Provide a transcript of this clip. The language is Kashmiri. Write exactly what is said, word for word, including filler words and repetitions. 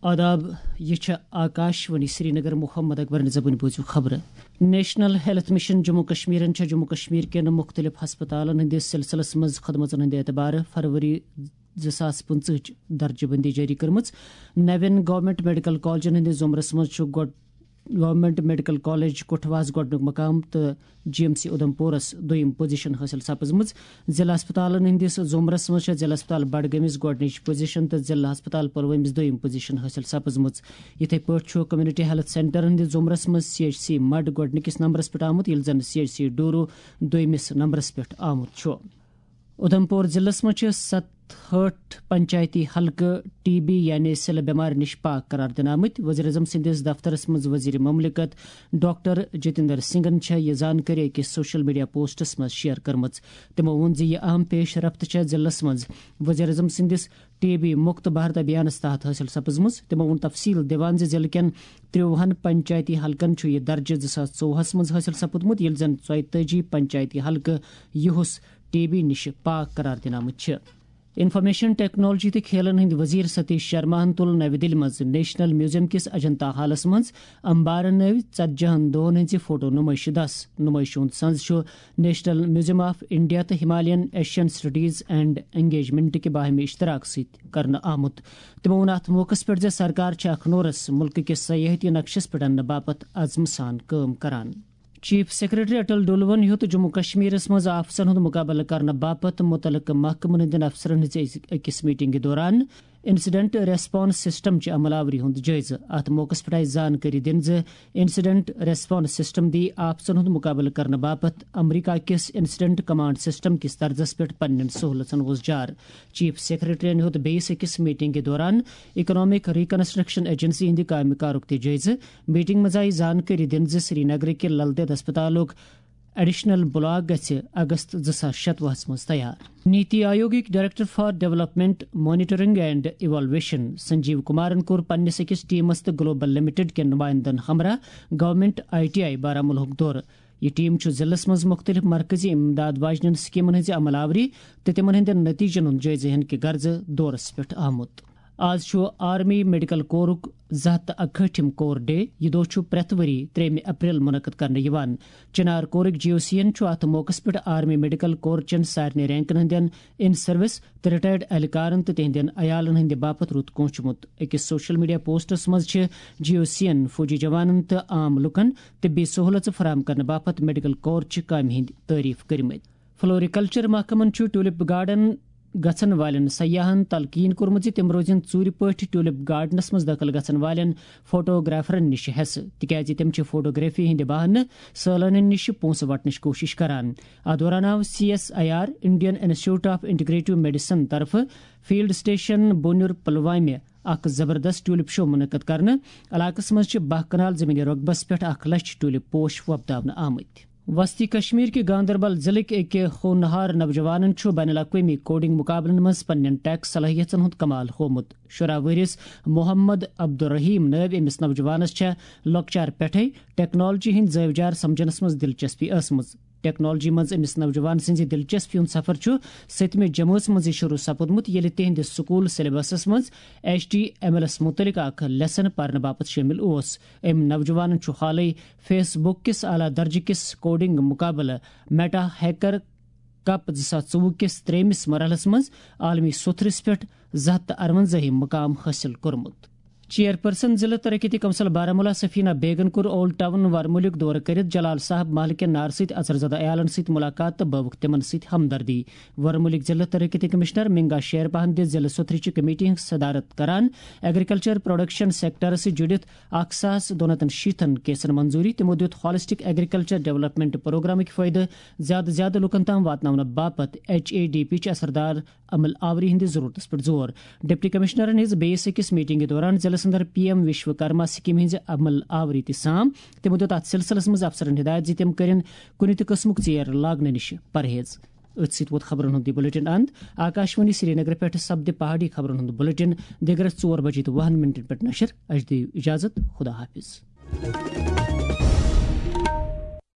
آداب، یہِ چھےٚ آکاش وانی سرینگر۔ محمد اکبرن زبٲنۍ بوٗزِو خبرٕ۔ نیشنل ہیلتھ مشن جموں کشمیرن چھےٚ جموں کشمیر کٮ۪ن مُختٔلِف ہسپتالن ہٕنٛدِس سلسلس منٛز خدمژن ہٕنٛدِ اعتبارٕ فروری زٕ ساس پٕنٛژٕہٕچ درجہٕ بندی جٲری کٔرمٕژ۔ نوٮ۪ن گورنمنٹ میڈیکل کالجن ہٕنٛدِس زُمرس منٛز چھُ گۄڈ-، گورنمنٹ میڈیکل کالج کٹھواہس گۄڈٕنیُک مقام تہٕ جی ایم سی اُدھمپورس دوٚیِم پوزیشن حٲصِل سپٕزمٕژ۔ ضلع ہسپتالن ہٕنٛدِس زُمرس منٛز چھےٚ ضلع ہسپتال بڈگٲمِس گۄڈٕنِچ پوزیشن تہٕ ضلع ہسپتال پلوٲمِس دوٚیِم پوزیشن حٲصِل سپٕزمٕژ۔ یِتھے پٲٹھۍ چھُ کمیونٹی ہیلتھ سینٹرن ہٕنٛدِس زُمرس منٛز سی ایچ سی مڈ گۄڈٕنِکِس نمبرس پٮ۪ٹھ آمُت، ییٚلہِ زن سی ایچ سی ڈورو دوٚیمِس نمبرس پٮ۪ٹھ آمُت چھُ۔ اُدھمپور ضلعس منٛز چھِ ستہٲٹھ پنچایتی حلقہٕ ٹی بی یعنی سِلہٕ بٮ۪مارِ نِش پاک قرار دِنہٕ آمٕتۍ۔ وزیر اعظم سٕنٛدِس دفترس منٛز وزیر مملکت ڈاکٹر جتیندر سنگھن چھےٚ یہِ زانکٲری أکِس سوشل میڈیا پوسٹس منٛز شیئر کٔرمٕژ۔ تِمو ووٚن زِ یہِ اہم پیش رفت چھےٚ ضلعس منٛز وزیر اعظم سٕنٛدِس ٹی بی مُکت بھارت ابھیانس تحت حٲصِل سپٕزمٕژ۔ تِمو ووٚن تفصیل دِوان زِ ضلعہٕ کٮ۪ن ترٛۆوُہن پنچایتی حلقن چھُ یہِ درجہٕ زٕ ساس ژوٚوُہس منٛز حٲصِل سپُدمُت، ییٚلہِ زن ژۄیتٲجی پنچایتی حلقہٕ یِہُس ٹی بی نِش پاک قرار دِنہٕ آمٕتۍ چھِ۔ انفارمیشن ٹیکنالوجی تہٕ کھیلن ہٕنٛدۍ وزیر ستیش شرماہن تُل نوِ دِلہِ منٛز نیشنل میوزیم کِس اجنتا ہالس منٛز امبارن نٲوۍ ژتجی ہن دۄہن ہٕنٛزِ فوٹو نمٲیشہِ دس۔ نمٲیشہِ ہُنٛد سنز چھُ نیشنل میوزیم آف انڈیا تہٕ Himalayan Asian studies and engagement کہِ باہمی اشتراک سۭتۍ کرنہٕ آمُت۔ تِمو ووٚن اتھ موقعس پٮ۪ٹھ زِ سرکار چھِ اکھ نورس مُلکہٕ کِس سیاحتی نقشس پٮ۪ٹھ اننہٕ باپتھ عزمہٕ سان کٲم کران۔ چیف سیکرٹری اٹل ڈولون ہیوٚت جموں کشمیرس منٛز آفژن ہُنٛد مقابلہٕ کرنہٕ باپتھ مُتعلقہٕ محکمن ہٕنٛدٮ۪ن افسرن ہٕنٛزِ أکِس میٹنگہِ دوران انسیڈنٹ ریسپانس سسٹم چہِ عمل آوری ہُنٛد جٲیزٕ۔ اتھ موقعس پٮ۪ٹھ آیہِ زانکٲری دِنہٕ زِ انسیڈنٹ ریسپانس سسٹم دی آفژن ہُنٛد مقابلہٕ کرنہٕ باپتھ امریکہ کِس انسیڈنٹ کمانڈ سسٹم کِس طرزس پٮ۪ٹھ پننٮ۪ن سہولژن وۄزجار۔ چیف سیکرٹریَن ہیوٚت بیٚیِس أکِس میٹنگہِ دوران اکنامک ریکنسٹرکشن ایجنسی ہٕنٛدِ کامہِ کارُک تہِ جٲیزٕ۔ میٹنگ منٛز آیہِ زانکٲری دِنہٕ زِ سرینگرٕکہِ لل دید ہسپتالُک ایڈیشنل بلاک گژھِ اگست زٕ ساس شتوُہس منٛز تیار۔ نیتی آیوگٕکۍ director for development, monitoring and evaluation Sanjeev کمارن کوٚر پننِس أکِس ٹیمس تہٕ گلوبل لمیٹڈ کٮ۪ن نمائندن ہمراہ گورنمنٹ آئی ٹی آئی بارہمولہُک دورٕ۔ یہِ ٹیم چھُ ضلعس منٛز مُختٔلِف مرکزی امداد واجنٮ۪ن سکیمن ہٕنٛزِ عمل آوری تہٕ تِمن ہٕنٛدٮ۪ن نتیجن ہُنٛد جٲیزٕ ہینہٕ کہِ غرضہٕ دورس پٮ۪ٹھ آمُت۔ آز چھُ آرمی میڈیکل کورُک زٕ ہتھ تہٕ اکہٲٹھِم کور ڈے۔ یہِ دۄہ چھُ پرٛٮ۪تھ ؤری ترٛیٚیِمہِ اپریل منعقد کرنہٕ یِوان۔ چنار کورٕکۍ جی او سی ین چھُ اتھ موقعس پٮ۪ٹھ آرمی میڈیکل کورچن سارنٕے رینکن ہٕنٛدٮ۪ن ان سروس تہٕ ریٹائرڈ اہلکارن تہٕ تِہنٛدٮ۪ن عیالن ہٕنٛدِ باپتھ رُت کوٗنچمُت۔ أکِس سوشل میڈیا پوسٹس منٛز چھِ جی او سی ین فوجی جوانن تہٕ عام لوٗکن طبی سہولژٕ فراہم کرنہٕ باپتھ میڈیکل کورچہِ کامہِ ہٕنٛدۍ تعریف کٔرمٕتۍ۔ فلوریکلچر محکمن چھُ ٹیولپ گارڈن گژھن والٮ۪ن سیاحن تلقین کوٚرمُت زِ تِم روزن ژوٗرِ پٲٹھۍ ٹیولپ گارڈنس منٛز دٲخل گژھن والٮ۪ن فوٹوگرافرن نِش حصہٕ، تِکیازِ تِم چھِ فوٹوگرافی ہٕنٛدِ بہانہٕ سٲلٲنین نِش پونٛسہٕ وٹنٕچ کوٗشش کران۔ اتھ دوران آو C S I R, Indian institute of integrative medicine طرفہٕ فیلڈ اسٹیشن بونیُر پلوامہِ اکھ زبردست ٹیولپ شو منعقد کرنہٕ۔ علاقس منٛز چھِ باہ کنال زمینی رۄقبس پٮ۪ٹھ اکھ لچھ ٹیولپ پوش وۄپداونہٕ آمٕتۍ۔ وسطی کشمیر کہِ گاندربل ضلعٕکۍ أکۍ ہونہار نوجوانن چھُ بین الاقوٲمی کوڈنگ مقابلن منٛز پننٮ۪ن ٹیک صلٲحیژن ہُنٛد کمال ہوومُت۔ شُراہ وُہرِس محمد عبدالرحیم نٲوۍ أمِس نوجوانس چھےٚ لۄکچار پٮ۪ٹھے ٹیکنالوجی ہٕنٛدۍ زٲوِجار سمجھنس منٛز دلچسپی ٲسمٕژ۔ ٹیکنالوجی منٛز أمِس نوجوان سٕنٛزِ دلچسپی ہُنٛد سفر چھُ سٔتمہِ جمٲژ منٛزٕے شروع سپُدمُت، ییٚلہِ تِہنٛدِس سکول سلیبسس منٛز ایچ ٹی ایم ایلس مُتعلق اکھ لیسن پرنہٕ باپتھ شٲمِل اوس۔ أمۍ نوجوانن چھُ حالٕے فیس بُک کِس اعلیٰ درجہٕ کِس کوڈنگ مقابلہٕ میٹا ہیکر کپ زٕ ساس ژوٚوُہ کِس ترٛیٚیمِس مرحلس منٛز عالمی سوٚتھرِس پٮ۪ٹھ زٕ ہتھ تہٕ اَرونٛزاہِم مقام حٲصِل کوٚرمُت۔ چیئرپرسن ضلع ترقیتی کونسل بارہمولہ سفینہ بیگن کوٚر اولڈ ٹاؤن ورمُلُک دورٕ کٔرِتھ جلال صاحب محلہٕ کٮ۪ن نارٕ سۭتۍ اژر زدہ عیالن سۭتۍ مُلاقات تہٕ بٲوٕکھ تِمن سۭتۍ ہمدردی۔ ورمُلٕکۍ ضلع ترقیتی کمشنر منگا شیرپاہن دِژ ضلع سوٚتھرِ چہِ کمیٹی ہٕنٛز صدارت کران ایگریکلچر پروڈکشن سیکٹرس سۭتۍ جُڑِتھ اکھ ساس دُنتن شیٖتن کیسن منظوٗری۔ تِمو دیُت ہالسٹک ایگریکلچر ڈیولپمنٹ پروگرامٕکۍ فٲیدٕ زیادٕ زیادٕ لوٗکن تام واتناونہٕ باپتھ ایچ اے ڈی پی چہِ اثردار عمل آوری ہٕنٛدِس ضروٗرتس پٮ۪ٹھ زور۔ ڈپٹی کمشنرن ہیٚژ بیٚیِس أکِس میٹنگہِ دوران ضلعس اندر پی ایم وشوکرما سکیمہِ ہٕنٛزِ عمل آوری تہِ سام۔ تِمو دیُت اتھ سلسلس منٛز افسرن ہدایت زِ تِم کٔرِن کُنہِ تہِ قٕسمُک ژیر لاگنہٕ نِش پرہیز۔ أتھۍ سۭتۍ ووت خبرن ہُنٛد یہِ بلیٹن اند۔ آکاشوانی سرینگر پٮ۪ٹھ سپدِ پہاڑی خبرن ہُنٛد بلیٹن دِگرس ژور بجے تہٕ وُہن منٹن پٮ۪ٹھ نشر۔ اَسہِ دِیِو اجازت۔ خدا حافظ۔